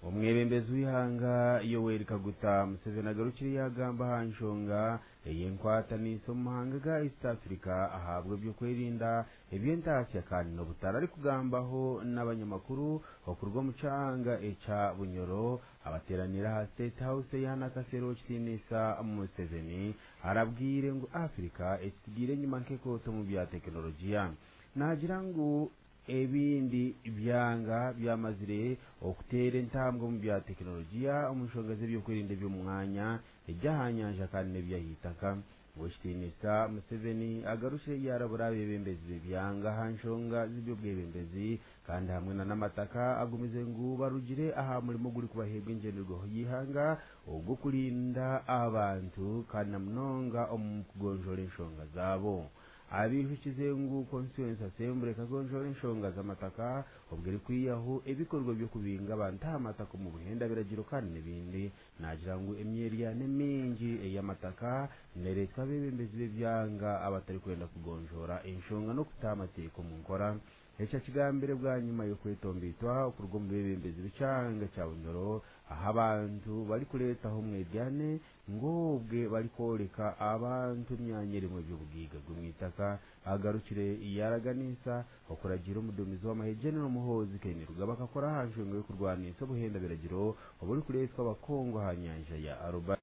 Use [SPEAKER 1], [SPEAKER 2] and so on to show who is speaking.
[SPEAKER 1] Omwebembezi w'eihanga Yoweri Kaguta Museveni agarukire yaagamba aha nshonga ey'enkwatanisa omu mahanga ga East Africa ahabw'ebyokwerinda eby'entaasya kandi n'obutare. Arikugambaho n'abanyamakuru okuruga omu kyanga ekya Bunyoro abateeraniire aha State House eya Nakasero, Kitiinisa Museveni arabwire ngu Africa ekitsigaire enyima nk'ekooto omu bya tekinologiya. Naagira ngu ebindi byanga byamazire okuteera entambwe omu bya tekinologiya omu nshonga z'ebyokwerinda eby'omu mwanya, eby'aha nyanja kandi n'eby'aha itaka. Ow'ekitiinisa Museveni agarukire yaarabura abeebembezi b'ebyanga aha nshonga z'eby'obwebembezi kandi hamwe na n'amataka agumize ngu barugire aha murimo ogurikubaheebwa engyenderwaho y'eihanga ogw'okurinda abantu kandi na munonga omu kugonjoora enshonga zaabo. Abaijukize ngu Constituency Assembly ekagonjoora enshonga z'amataka obwo erikwihaho ebikorwa by'okubinga abantu aha mataka omu buhenda biragiro kandi n'ebindi. Naagira ngu emyeryane mingi ey'amataka nereetwa abeebembezi b'ebyanga abatarikwenda kugonjoora enshonga n'okuta amateeka omu nkora. Eki akigambire bwanyima y'okwetomboitwa okuruga omu beebembezi b'ekyanga kya Bunyoro ahu abantu barikureetaho omweryane ngu obwe barikworeka abantu emyanya erimu eby'obugaiga bw'omwitaka. Agarukire yaaraganisa okuragiira omuduumizi w'amahe General Muhoozi Kainerugaba akakora aha nshonga y'okurwanisa obuhenda biragiro oburikureetwa abakungu aha nyanja ya Aruba.